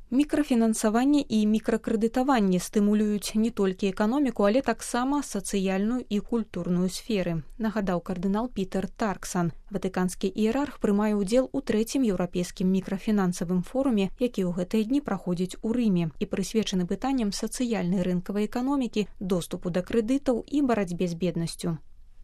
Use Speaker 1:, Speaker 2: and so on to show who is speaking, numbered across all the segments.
Speaker 1: Мікрафінансаванне і мікракрэдытаванне стымулююць не толькі эканоміку, але таксама сацыяльную і культурную сферы, нагадаў кардынал Пітер Тарксан. Ватыканскі іерарх прымае ўдзел у 3-м еўрапейскім мікрафінансавым форуме, які ў гэтыя дні праходзіць у Рыме і прысвечаны пытанням сацыяльнай рынкавай эканомікі, доступу да крэдытаў і барацьбе з беднасцю.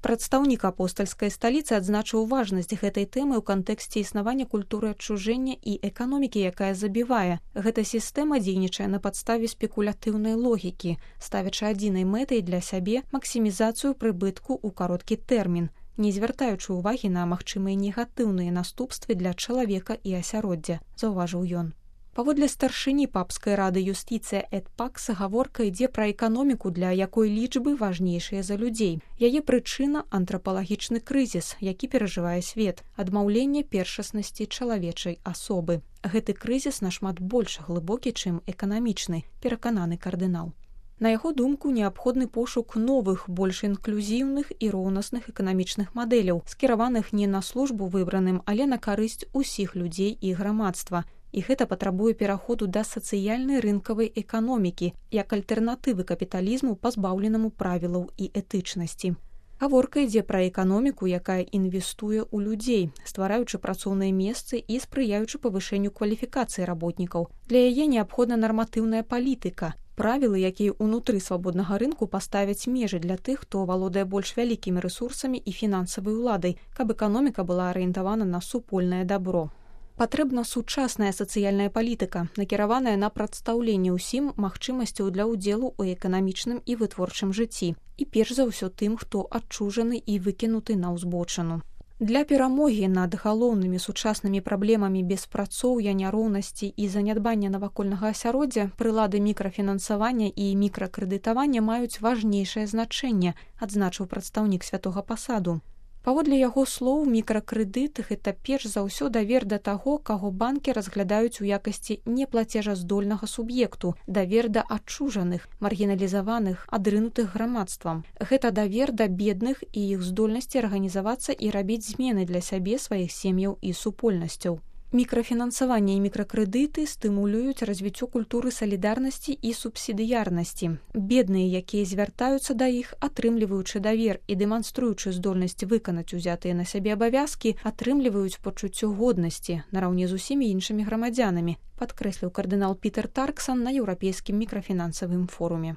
Speaker 1: Прадстаўнік апостальскай сталіцы адзначыў важнасць гэтай тэмы ў кантэксце існавання культуры адчужэння і эканомікі, якая забівае. Гэта сістэма дзейнічае на падставе спекулятыўнай логікі, ставячы адзінай мэтай для сябе максімізацыю прыбытку ў кароткі тэрмін, не звяртаючы ўвагі на магчымыя негатыўныя наступствы для чалавека і асяроддзя, заўважыў ён. Паводле старшыні папскай рады юстыцыя эт пакс гаворка ідзе пра эканоміку, для якой лічбы важнейшыя за людзей. Яе прычына – антрапалагічны крызіс, які перажывае свет, адмаўленне першаснасці чалавечай асобы. Гэты крызіс нашмат больш глыбокі, чым эканамічны, перакананы кардынал. На яго думку, неабходны пошук новых, больш інклюзіўных і роўнасных эканамічных мадэляў, скіраваных не на службу выбраным, але на карысць усіх людзей і грамадства. І гэта патрабуе пераходу да сацыяльнай рынкавай эканомікі як альтэрнатывы капіталізму, пазбаўленаму правілаў і этычнасці. Гаворка ідзе пра эканоміку, якая інвестуе ў людзей, ствараючы працоўныя месцы і спрыяючы павышэнню кваліфікацыі работнікаў. Для яе неабходна нарматыўная палітыка, правілы, якія ўнутры свабоднага рынку паставяць межы для тых, хто валодае больш вялікімі рэсурсамі і фінансавай уладай, каб эканоміка была арыентавана на супольнае дабро. Патрэбна сучасная сацыяльная палітыка, накіраваная на прадстаўленне ўсім магчымасцяў для ўдзелу ў эканамічным і вытворчым жыцці, і перш за ўсё тым, хто адчужаны і выкінуты на ўзбочыну. Для перамогі над галоўнымі сучаснымі праблемамі беспрацоўя, няроўнасці і занядбання навакольнага асяроддзя прылады мікрафінансавання і мікракрэдытавання маюць важнейшае значэнне, адзначыў прадстаўнік святога пасаду. Паводле яго слоў, мікракрэдыт – гэта перш за ўсё давер да таго, каго банкі разглядаюць у якасці неплацежаздольнага суб'екту, давер да адчужаных, маргіналізаваных, адрынутых грамадствам. Гэта давер да бедных і іх здольнасці арганізавацца і рабіць змены для сябе, сваіх сем'яў і супольнасцяў. Мікрафінансаванне і мікракрэдыты стымулююць развіццё культуры салідарнасці і субсідыярнасці. Бедныя, якія звяртаюцца да іх, атрымліваючы давер і дэманструючы здольнасць выканаць узятыя на сябе абавязкі, атрымліваюць пачуццё годнасці нараўне з усімі іншымі грамадзянамі, падкрэсліў кардынал Пітер Тарксан на еўрапейскім мікрафінансавым форуме.